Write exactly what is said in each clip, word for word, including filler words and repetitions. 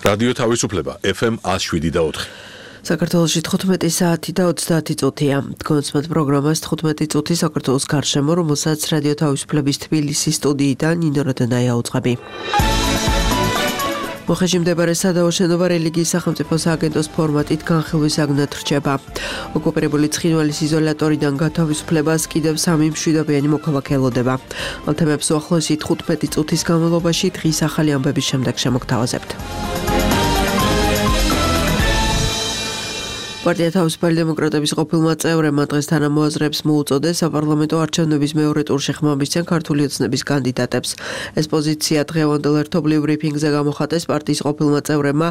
რადიო თავისუფლება ეფ ემ one oh seven და four. საქართველოში თხუთმეტი საათი და ოცდაათი წუთია. Გონცმეთ პროგრამას თხუთმეტი წუთი საქართველოს გარშემო, რომელსაც რადიო თავისუფლების თბილისის სტუდიიდან ნინო როდენაია უძღვები. მოხეში მდებარე სადაო შენობა რელიგიის სახელმწიფო სააგენტოს ფორმატით განხილვისაგნად რჩება. ოკუპირებული ცხინვალის იზოლატორიდან გათავისუფლებას კიდევ სამი მშვიდობიანი მოქალაქე ელოდება. ამ თემებს უახლოესი თხუთმეტი წუთის განმავლობაში დღის ახალი ამბების შემდეგ შემოგთავაზებთ. პარტია თავისუფალი დემოკრატების ყოფილმა წევრებმა დღეს თანამოაზრეებს მოუწოდეს საპარლამენტო არჩევნების მეორე ტურში ხმამისცენ ქართული ოცნების კანდიდატებს. ეს პოზიცია დღევანდელ ერთობლივ ბრიფინგზე გამოხატეს პარტიის ყოფილმა წევრებმა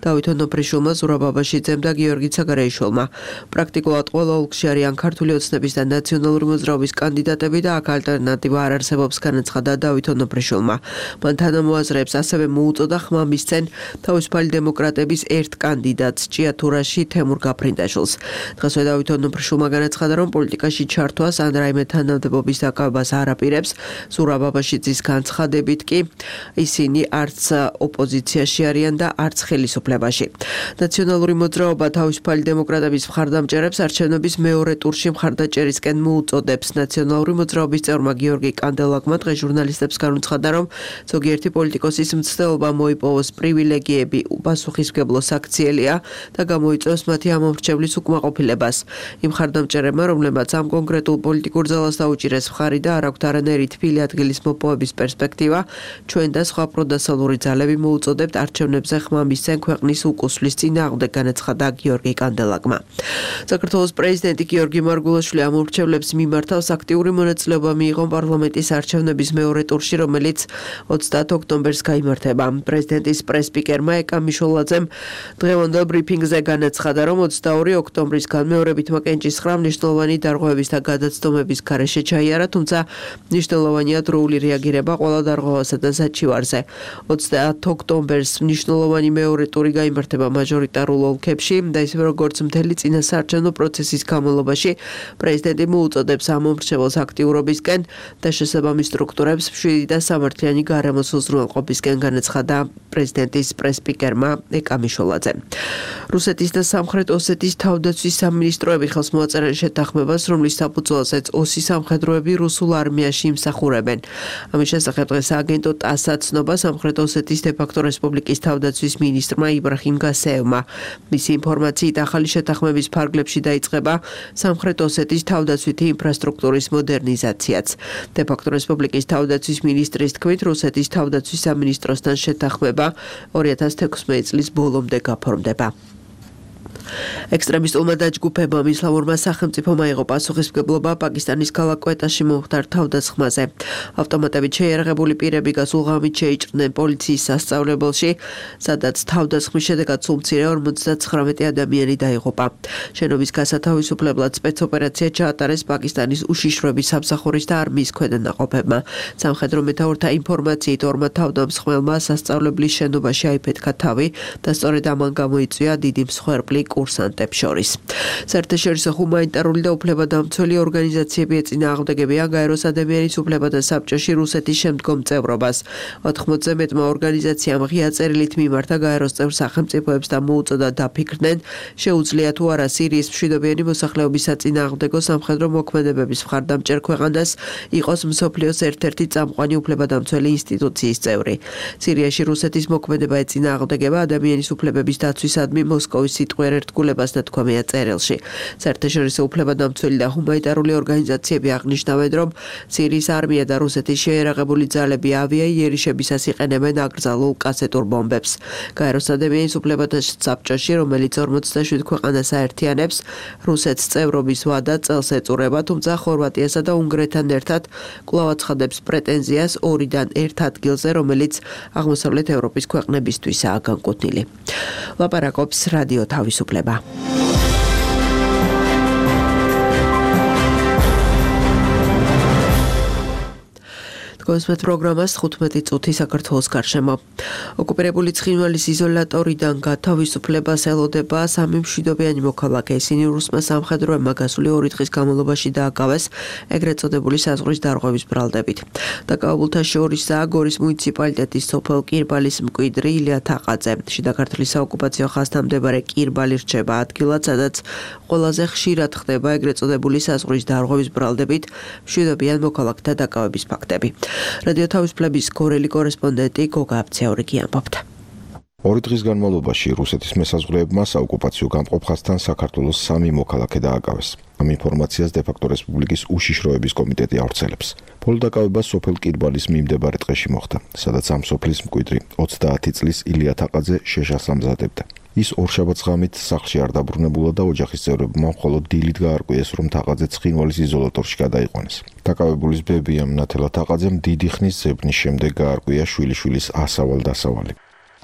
დავით ონოფრიშვილმა, ზურაბ აბაშიძემ და გიორგი ცაგარეიშვილმა. პრაქტიკულად ყველა ოლქში არიან ქართული ოცნების და ნაციონალური მოძრაობის კანდიდატები და აქ ალტერნატივა არ არსებობს, განაცხადა დავით ონოფრიშვილმა. მან თანამოაზრეებს ასევე მოუწოდა ხმამისცენ თავისუფალი დემოკრატების ერთ კანდიდატს ჭიათურაში თემურ გაფრინდაშვილს. დღესვე დავით ონოფრიშვილმა განაცხადა, რომ პოლიტიკაში ჩართვას ან რაიმე თანამდებობის დაკავებას არ აპირებს. ზურაბ აბაშიძის განცხადებით კი ისინი არც ოპოზიციაში არიან და არც ხელისუფლებაში. ნაციონალური მოძრაობა თავისუფალი დემოკრატების მხარდამჭერებს არჩევნების მეორე ტურში მხარდაჭერისკენ მოუწოდებს. ნაციონალური მოძრაობის წევრმა გიორგი კანდელაკმა დღეს ჟურნალისტებს განუცხადა, რომ ზოგიერთი პოლიტიკოსის მცდელობა მოიპოვოს პრივილეგიები უპასუხისმგებლო საქციელია და გამოიწვევს მათი ამომრჩევლის უკმაყოფილებას. იმ მხარდამჭერებმა, რომლებმაც ამ კონკრეტულ პოლიტიკურ ძალას დაუჭირეს მხარი და არ აქვთ არანაირი თბილი ადგილის მოპოვების პერსპექტივა, ჩვენ და სხვა პროდასალური ძალები მოუწოდებთ არჩევნებზე ხმამისცენ ქვეყნის უკუსვლის წინააღმდეგ, განაცხადა გიორგი კანდელაკმა. საქართველოს პრეზიდენტი გიორგი მარგულაშვილი ამომრჩევლებს მიმართავს აქტიური მონაწილეობა მიიღო პარლამენტის არჩევნების მეორე ტურში, რომელიც ოცდაათ ოქტომბერს გაიმართება. პრეზიდენტის პრესპიკერმა ეკა მიშოლაძემ დღევანდელ ბრიფინგზე განაცხადა, რომ ოცდაორი ოქტომბრის განმეორებითმა კენჭისხრა მნიშვნელოვანი დარღვევების და გადაცდომების გარეშე ჩაიარა, თუმცა მნიშვნელოვანია დროული რეაგირება ყველა დარღვევასა და საჩივარზე. ოცდაათ ოქტომბერს მნიშვნელოვანი მეორე ტური გაიმართება მაჟორიტარულ ოლქებში და ისევე როგორც მთელი წინასაარჩევნო პროცესის განმავლობაში პრეზიდენტი მოუწოდებს ამომრჩეველს აქტიურობისკენ და შესაბამის სტრუქტურებს მშვიდი და სამართლიანი გარემოს უზრუნველყოფისკენ, განაცხადა პრეზიდენტის პრესპიკერმა ეკა მიშოლაძემ. რუსეთის და სამხრეთ ოსეთის თავდაცვის სამინისტროები ხელს მოაწერენ შეთანხმებას, რომლის საფუძველზეც ოსი სამხედროები რუსულ არმიაში იმსახურებენ. ამის შესახებ დღეს აგენტო ტასა ცნობა სამხრეთ ოსეთის დე-ფაქტო რესპუბლიკის თავდაცვის მინისტრმა იბრაჰიმ გასეევმა. მისი ინფორმაციით ახალი შეთანხმების ფარგლებში დაიწყება სამხრეთ ოსეთის თავდაცვითი ინფრასტრუქტურის მოდერნიზაციაც. დე-ფაქტო რესპუბლიკის თავდაცვის მინისტრის თქმით, რუსეთის თავდაცვის სამინისტროსთან შეთანხმება ორი ათას თექვსმეტი წლის ბოლომდე გაფორმდება. ექსტრემისტულმა დაჯგუფებამ ისლამურმა სახელმწიფომ აიღო პასუხისმგებლობა პაკისტანის ქალაქ კვეტაში მომხდარ თავდასხმაზე. ავტომატებით შეიარაღებული პირები გასულ ღამით შეიჭრნენ პოლიციის სასწავლებელში, სადაც თავდასხმის შედეგად სულ მცირე ორმოცდაცხრამეტი ადამიანი დაიღუპა. შენობის გასათავისუფლებლად სპეცოპერაცია ჩაატარეს პაკისტანის უშიშროების სამსახურის და არმიის ქვედანაყოფებმა. სამხედრო მეთაურთა ინფორმაციით ორმა თავდამსხმელმა სასწავლებლის შენობაში აიფეთქა თავი და სწორედ ამან გამოიწვია დიდი მსხვერპლი კურსანტებს შორის. საერთაშორისო ჰუმანიტარული და უფლებადამცველი ორგანიზაციები ეწინააღმდეგებიან გაეროს ადამიანის უფლებათა საბჭოში რუსეთის შემდგომ წევრობას. ოთხმოცზე მეტმა ორგანიზაციამ ღია წერილით მიმართა გაეროს წევრ სახელმწიფოებს და მოუწოდა დაფიქრდნენ, შეუძლია თუ არა სირიის მშვიდობიანი მოსახლეობის საწინააღმდეგო სამხედრო მოქმედებების მხარდამჭერ ქვეყანას იყოს მსოფლიოს ერთ-ერთი წამყვანი უფლებადამცველი ინსტიტუციის წევრი. სირიაში რუსეთის მოქმედება ეწინააღმდეგება ადამიანის უფლებების დაცვისადმი მოსკოვის სიტყვიერ ერთგულებას ნათქვამია წერილში. საერთაშორისო უფლებადამცველი და ჰუმანიტარული ორგანიზაციები აღნიშნავენ, რომ სირიის არმია და რუსეთის შეიარაღებული ძალები ავიაიერიშებისას იყენებენ აკრძალულ კასეტურ ბომბებს. გაეროს ადამიანის უფლებათა საბჭოში, რომელიც ორმოცდაშვიდ ქვეყანას აერთიანებს, რუსეთს წევრობის ვადა წელს ეწურება, თუმცა ხორვატიასა და უნგრეთთან ერთად კვლავ აცხადებს პრეტენზიას ორიდან ერთ ადგილზე, რომელიც აღმოსავლეთ ევროპის ქვეყნებისთვისაა განკუთვნილი. ლაპარაკობს რადიო თავისუფლება. Თქვენს პროგრამას თხუთმეტი წუთი საქართველოს გარშემო. ოკუპირებული ცხინვალის იზოლატორიდან გათავისუფლებას ელოდება სამი მშვიდობიანი მოქალაქე. ისინი რუსმა სამხედროებმა გასული ორი დღის განმავლობაში დააკავეს ეგრეთ წოდებული საზღვრის დარღვევის ბრალდებით. დაკავებულთა შორისაა გორის მუნიციპალიტეტის სოფელ კირბალის მკვიდრი ილია თაყაძე. შიდა ქართლის საოკუპაციო ხაზთან მდებარე კირბალი რჩება ადგილად, სადაც ყველაზე ხშირად ხდება ეგრეთ წოდებული საზღვრის დარღვევის ბრალდებით მშვიდობიან მოქალაქეთა დაკავების ფაქტები. რადიო თავისუფლების გორელი კორესპონდენტი გოგა აბცეორიგი ამბობდა. ორი დღის განმავლობაში რუსეთის მესაზღვრეებმა საოკუპაციო გამყოფხასთან საქართველოს სამი მოქალაქე დააკავეს. ამ ინფორმაციას დე-ფაქტო რესპუბლიკის უშიშროების კომიტეტი ავრცელებს. ბოლო დაკავება სოფელ კირბალის მიმდებარე ტყეში მოხდა, სადაც ამ სოფლის მკვიდრი ოცდაათი წლის ილია თაყაძე შეშას ამზადებდა. ის ორშაბათს ღამით სახლში არ დაბრუნებულა და ოჯახის წევრებმა მხოლოდ დილით გაარკვიეს, რომ თაყაძე ცხინვალის იზოლატორში გადაიყვანეს. დაკავებულის ბებიამ ნათელა თაყაძემ დიდი ხნის ზებნის შემდეგ გაარკვია შვილიშვილის ასავალ-დასავალი.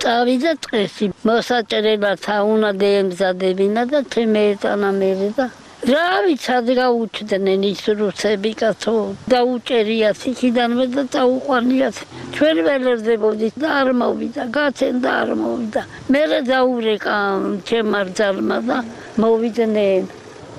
წავიდა ტყეში, მოსაჭრელად უნდა დაემზადებინა და თემეეტანა მერე და რა ვიცი, გაუჩდნენ ის რუსები კაცო, დაუჭერიათ იქიდანვე და წაუყვანიათ. ჩვენ ველერდებოდით და არ მოვიდა, გაცენ და არ მოვიდა. მერე დაურეკა ჩემმა რძალმა და მოვიდნენ.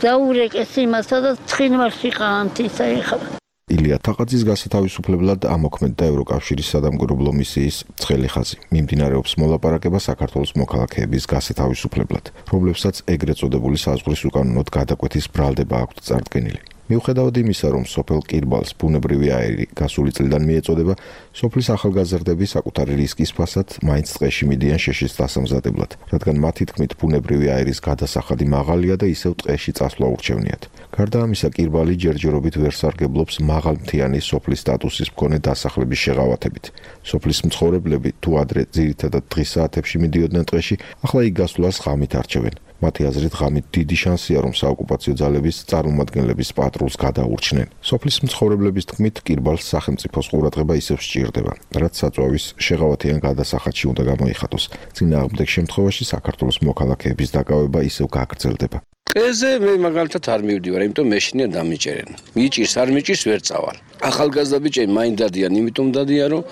დაურეკეს იმასა და ცხინვალში ყანთისა ეხლა. ილია თაყაძის გასათავისუფლებლად ამოქმედდა ევროკავშირის სადამკვირვებლო მისიის ცხელი ხაზი. მიმდინარეობს მოლაპარაკება საქართველოს მოქალაქეების გასათავისუფლებლად, რომლებსაც ეგრეთ წოდებული საზღვრის უკანონოდ გადაკვეთის ბრალდება აქვთ წარდგენილი. მიუხედავად იმისა, რომ სოფელ კირბალს ბუნებრივი აირი გასული წლიდან მიეწოდება, სოფლის ახალგაზრდები საკუთარი რისკის ფასად მაინც ტყეში მიდიან შეშის დასამზადებლად, რადგან მათი თქმით ბუნებრივი აირის გადასახადი მაღალია და ისევ ტყეში წასვლა ურჩევნიათ. გარდა ამისა, კირბალი ჯერჯერობით ვერ სარგებლობს მაღალმთიანი სოფლის სტატუსის მქონე დასახლების შეღავათებით. სოფლის მცხოვრებლები თუ ადრე ძირითადად დღის საათებში მიდიოდნენ ტყეში, ახლა იქ გასვლას ღამით არჩევენ. მათი აზრით, ღამით დიდი შანსია, რომ საოკუპაციო ძალების წარმომადგენლების პატრულს გადაურჩნენ. სოფლის მცხოვრებლების თქმით, კირბალს სახელმწიფოს ყურადღება ისევ სჭირდება, რაც საწვავის შეღავათიან გადასახადში უნდა გამოიხატოს. წინააღმდეგ შემთხვევაში საქართველოს მოქალაქეების დაკავება ისევ გაგრძელდება. ტყეზე მე მაგალითად არ მივდივარ, იმიტომ მეშინია დამიჭერენ. მიჭირს, არ მიჭირს, ვერ წავალ. ახალგაზრდა ბიჭები მაინ დადიან, იმიტომ დადიან, რომ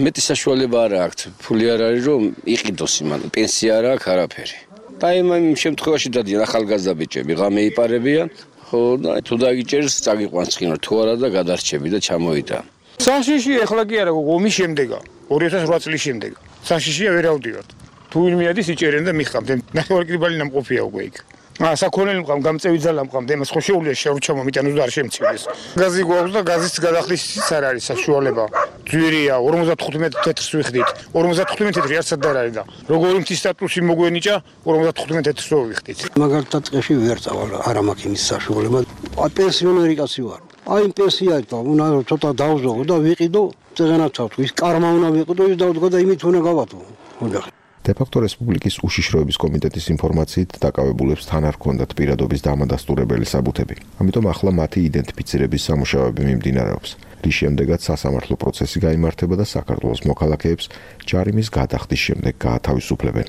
მეტი საშუალება არ აქვს. ფული არ არის, რომ იყიდოს იმან, პენსია არ აქვს, არაფერი. და იმ შემთხვევაში დადიან ახალგაზრდა ბიჭები, ღამე იპარებიან, ხო და თუ დაგიჭერს, წაგიყვანს ცხინვალ, თუ არა და გადარჩები და ჩამოიტან. საშიში ეხლა კი არა, ომის შემდეგა, ორი ათას ოთხ წლის შემდეგა. საშიშია ვერ ავდივართ. თუ ვინმე ადის იჭერენ და მიხამთ. ნახევარი კრიბალი ნამყოფია უკვე იქ. აა საქონელი მყავ, გამწევი ძალა მყავ, იმას ხო შეუძლია შეურჩა მომიტანოს და არ შემცირდეს. გაზი გვაქვს და გაზის გადახდის არ არის საშუალება. ძვირია, ორმოცდათხუთმეტ თეთრს ვიხდით. ორმოცდათხუთმეტ თეთრი არცად არ არის და როგორი მთის სტატუსი მოგვენიჭა, ორმოცდათხუთმეტ თეთრს ვიხდით. მაგალითად ტყეში ვერ წავალ, არ მაქვს იმის საშუალება. აი პენსიონერი კაცი ვარ. აი პენსიაა და უნდა ცოტა დავზოგო და ვიყიდო, წეგანაცავთ. ის კარმა უნდა ვიყიდო, ის დავდგა და იმით უნდა გავატო. ოჯახი დე-ფაქტო რესპუბლიკის უშიშროების კომიტეტის ინფორმაციით დაკავებულებს თან არ ჰქონდათ პირადობის დამადასტურებელი საბუთები. ამიტომ ახლა მათი იდენტიფიცირების სამუშაოები მიმდინარეობს, რის შემდეგაც სასამართლო პროცესი გაიმართება და საქართველოს მოქალაქეებს ჯარიმის გადახდის შემდეგ გაათავისუფლებენ.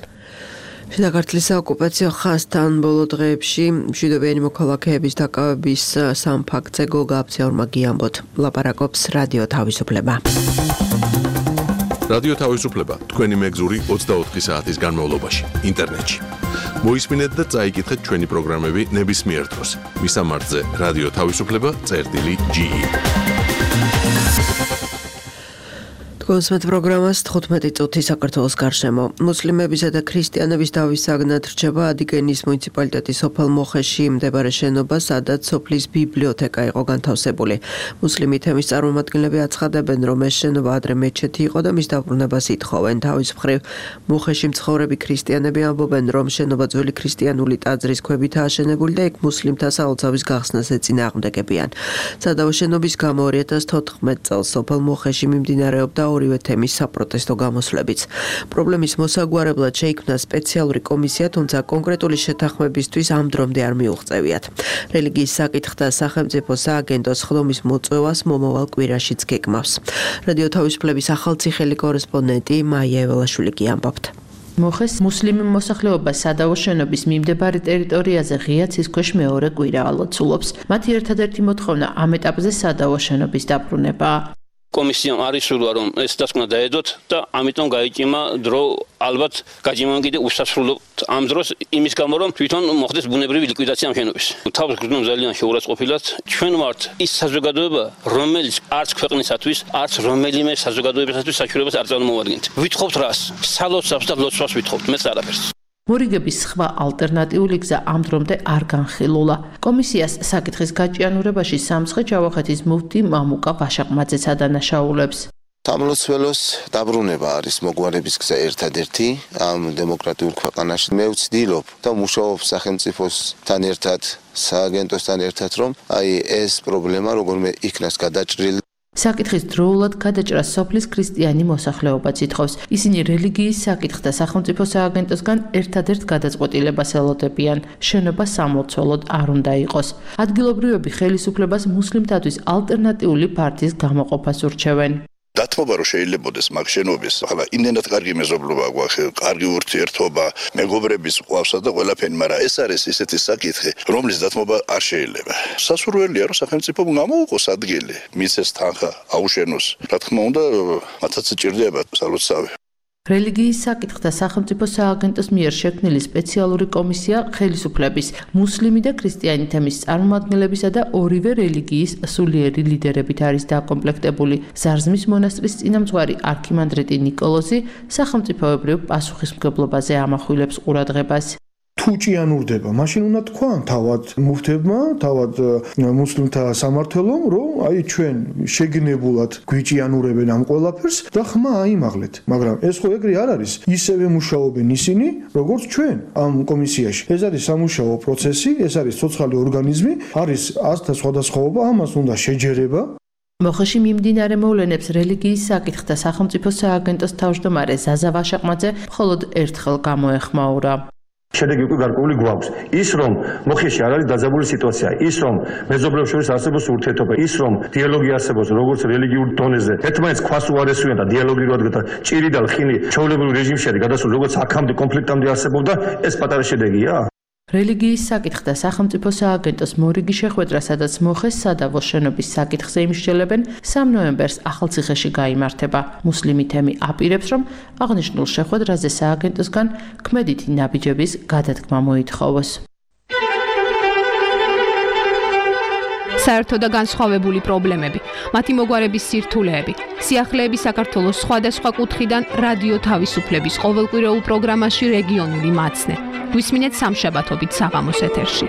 შიდა ქართლის საოკუპაციო ხაზთან ბოლო დღეებში მშვიდობიანი მოქალაქეების დაკავების სამ ფაქტზე გოგა აბცეორიგი ამბობთ. ლაპარაკობს რადიო თავისუფლება. რადიო თავისუფლება თქვენი მეგზური ოცდაოთხი საათის განმავლობაში ინტერნეტში. მოისმინეთ და წაიკითხეთ ჩვენი პროგრამები ნებისმიერ დროს. მისამართზე რადიო თავისუფლება წერტილი ჯი. თქვენს პროგრამას თხუთმეტი წუთი საქართველოს გარშემო. მუსლიმებისა და ქრისტიანების დავის საგნად რჩება ადიგენის მუნიციპალიტეტის სოფელ მოხეში მდებარე შენობა, სადაც სოფლის ბიბლიოთეკა იყო განთავსებული. მუსლიმი თემის წარმომადგენლები აცხადებენ, რომ ეს შენობა ადრე მეჩეთი იყო და მის დაბრუნებას ითხოვენ. თავის მხრივ მოხეში მცხოვრები ქრისტიანები ამბობენ, რომ შენობა ძველი ქრისტიანული ტაძრის ქვებით აშენებული და იქ მუსლიმთა საოცავის გახსნას ეწინააღმდეგებიან. სადავო შენობის გამო ორი ათას თოთხმეტ წელს სოფელ მოხეში მიმდინარეობდა ორივე თემის საპროტესტო გამოსვლებიც. პრობლემის მოსაგვარებლად შეიქმნა სპეციალური კომისია, თუმცა კონკრეტული შეთანხმებისთვის ამ დრომდე არ მიუღწევიათ. რელიგიის საკითხთა სახელმწიფო სააგენტოს ხდომის მოწვევას მომავალ კვირაშიც გეკმავს. რადიო თავისუფლების ახალციხელი კორესპონდენტი მაია ეველაშვილი კი ამბობთ. მოხეს მუსლიმი მოსახლეობა სადავო შენობის მიმდებარე ტერიტორიაზე ღია ცის ქვეშ მეორე კვირა ალოცულობს. მათი ერთადერთი მოთხოვნა ამ ეტაპზე სადავო შენობის დაბრუნება. კომისიამ არ ისურვა რომ ეს დასკვნა დაედოთ და ამიტომ გაიჭიმა დრო ალბათ გაჭიმან კიდე უსასრულოდ ამ დროს იმის გამო რომ თვითონ მოხდეს ბუნებრივი ლიკვიდაცია ამ შენობის. თავს გრძნო ძალიან შეურაცხყოფილად ჩვენ ვართ ის საზოგადოება რომელიც არც ქვეყნისათვის არც რომელიმე საზოგადოებისათვის საჩუქრებას არ წარმოადგენთ. ვითხოვთ რას? სალოცავს და ლოცვას ვითხოვთ, მეც არაფერს. მორიგების სხვა ალტერნატიული გზა ამ დრომდე არ განხილულა. კომისიას საკითხის გაჭიანურებაში სამცხე ჯავახეთის მუფტი მამუკა ვაშაყმაძეც ადანაშაულებს. სამლოცველოს დაბრუნება არის მოგვარების გზა ერთადერთი ამ დემოკრატიულ ქვეყანაში. მე ვცდილობ და მუშაობ სახელმწიფოსთან ერთად, სააგენტოსთან ერთად, რომ აი ეს პრობლემა როგორმე იქნას გადაჭრილი. საკითხის დროულად გადაჭრას სოფლის ქრისტიანი მოსახლეობაც ითხოვს. ისინი რელიგიის საკითხთა სახელმწიფო სააგენტოსგან ერთადერთ გადაწყვეტილებას ელოდებიან. შენობა სამლოცველოდ არ უნდა იყოს. ადგილობრივები ხელისუფლებას მუსლიმთათვის ალტერნატიული პარტიის გამოყოფას ურჩევენ. დათმობა რომ შეიძლებაოდეს მაგ შენობის, ახლა იმდენად კარგი მეზობლობა გვაქვს, კარგი ურთიერთობა, მეგობრების ყავსა და ყველაფერი, მაგრამ ეს არის ისეთი საკითხი, რომლის დათმობა არ შეიძლება. სასურველია რომ სახელმწიფო გამოუყოს ადგილი, მისცეს თანხა, აუშენოს. რა თქმა უნდა, მათაც ჭირდება სალოცავი. რელიგიის საკითხთა სახელმწიფო სააგენტოს მიერ შექმნილი სპეციალური კომისია ხელისუფლების, მუსლიმი და ქრისტიანი თემის წარმომადგენლებისა და ორივე რელიგიის სულიერი ლიდერებით არის დაკომპლექტებული. ზარზმის მონასტრის წინამძღვარი არქიმანდრიტი ნიკოლოზი სახელმწიფოებრივ პასუხისმგებლობაზე ამახვილებს ყურადღებას. თუ ჭიანურდება, მაშინ უნდა თქვან თავად მუფტებმა, თავად მუსლიმთა სამართლომ, რომ აი ჩვენ შეგნებულად გვიჭიანურებენ ამ ყველაფერს და ხმა აიმაღლეთ. მაგრამ ეს ხო ეგრე არ არის. ისევე მუშაობენ ისინი, როგორც ჩვენ ამ კომისიაში. ეს არის სამუშაო პროცესი, ეს არის ცოცხალი ორგანიზმი, არის ასთა სხვადასხვაობა, ამას უნდა შეჯერება. მოხეში მიმდინარე მოვლენებს რელიგიის საკითხთა სახელმწიფო სააგენტოს თავმჯდომარე ზაზა ვაშაყმაძე მხოლოდ ერთხელ გამოეხმაურა. შედეგი უკვე გარკვეული გვაქვს. ის რომ მოხეში არ არის დაძაბული სიტუაცია, ის რომ მეზობლებს შორის არსებობს ურთიერთობა, ის რომ დიალოგი არსებობს როგორც რელიგიურ დონეზე, ერთმანეთს ქვას უარესუიან და დიალოგი რო ადგა ჭირი და ლხინი ჩვეულებრივ რეჟიმში არის გადასული, როგორც აქამდე კონფლიქტამდე არსებობდა, ეს პატარა შედეგია. რელიგიის საკითხთა სახელმწიფო სააგენტოს მორიგი შეხვედრა, სადაც მოხეს სადავოს შენობის საკითხზე იმსჯელებენ, სამი ნოემბერს ახალციხეში გაიმართება. მუსლიმი თემი აპირებს, რომ აღნიშნულ შეხვედრაზე სააგენტოსგან ქმედითი ნაბიჯების გადადგმა მოითხოვოს. საერთო და განსხვავებული პრობლემები, მათი მოგვარების სირთულეები, სიახლეები საქართველოს სხვადასხვა კუთხიდან რადიო თავისუფლების ყოველკვირეულ პროგრამაში რეგიონული მაცნე. გვისმინეთ სამშაბათობით საღამოს ეთერში.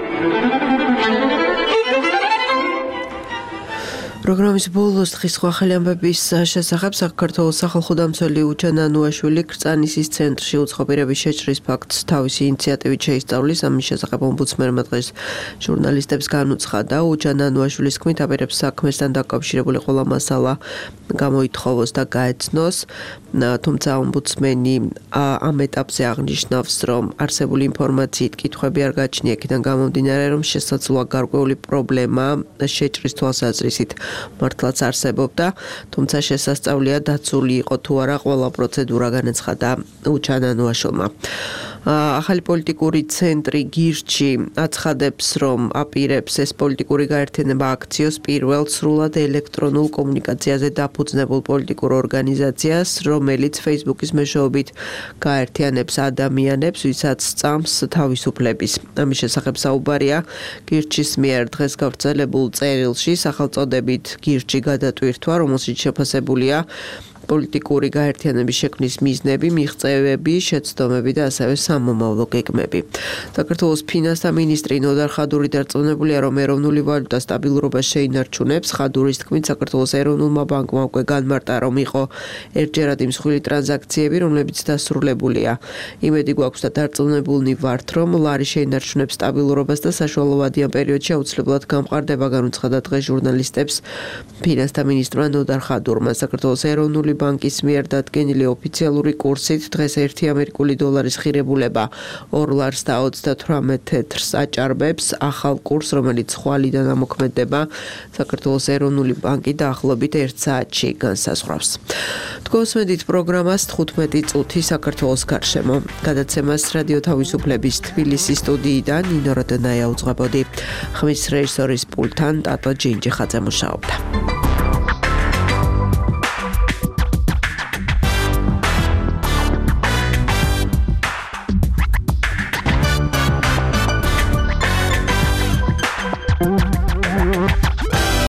პროგრამის ბოლოს დღის სხვა ახალი ამბების შესახებ საქართველოს სახალხო დამცველი უჯან ანუაშვილი კრწანისის ცენტრში უცხოპირების შეჭრის ფაქტს თავისი ინიციატივით შეისწავლის. ამის შესახებ ომბუდსმენმა დღეს ჟურნალისტებს განუცხადა. უჯან ანუაშვილის თქმით, აპირებს საქმესთან დაკავშირებული ყველა მასალა გამოითხოვოს და გაეცნოს. თუმცა ომბუდსმენი ამ ეტაპზე აღნიშნავს, რომ არსებული ინფორმაციით კითხვები არ გაჩნია, იქიდან გამომდინარე, რომ შესაძლოა გარკვეული პრობლემა შეჭრის თვალსაზრისით მართლაც არსებობდა, თუმცა შესასწავლია დაცული იყო თუ არა ყველა პროცედურა, განაცხადა უჯან ანუაშვილმა. ახალი პოლიტიკური ცენტრი გირჩი აცხადებს, რომ აპირებს ეს პოლიტიკური გაერთიანება აქციოს პირველ სრულად ელექტრონულ კომუნიკაციაზე დაფუძნებულ პოლიტიკურ ორგანიზაციას, რომელიც Facebook-ის მეშვეობით გაერთიანებს ადამიანებს, ვისაც სწამს თავისუფლების. ამის შესახებ საუბარია გირჩის მიერ დღეს გავრცელებულ წერილში, სახელწოდებით გირჩი გადატვირთვა, რომელშიც შეფასებულია პოლიტიკური გაერთიანების შექმნის მიზნები, მიღწევები, შეცდომები და ასევე სამომავლო გეგმები. საქართველოს ფინანსთა მინისტრი ნოდარ ხადური დარწმუნებულია, რომ ეროვნული ვალუტა სტაბილურობას შეინარჩუნებს. ხადურის თქმით, საქართველოს ეროვნულმა ბანკმა უკვე განმარტა, რომ იყო ერთჯერადი მსხვილი ტრანზაქციები, რომლებიც დასრულებულია. იმედი გვაქვს და დარწმუნებულნი ვართ, რომ ლარი შეინარჩუნებს სტაბილურობას და საშუალოვადიან პერიოდში აუცილებლად გამყარდება, განუცხადა დღეს ჟურნალისტებს ფინანსთა მინისტრმა ნოდარ ხადურმა. საქართველოს ეროვნული ბანკის მიერ დადგენილი ოფიციალური კურსით დღეს ერთი ამერიკული დოლარის ღირებულება ორ ლარს და ოცდათვრამეტ თეთრს აჭარბებს. ახალ კურსს, რომელიც ხვალიდან ამოქმედება, საქართველოს ეროვნული ბანკი დაახლოებით ერთ საათში განსაზღვრავს. თქვენსმენდით პროგრამას თხუთმეტი წუთი საქართველოს გარშემო. გადაცემას რადიო თავისუფლების თბილისის სტუდიიდან ნინო როდონაია უძღვებოდი. ხმის რეჟისორის პულტთან ტატო ჯინჯიხაძე მუშაობდა.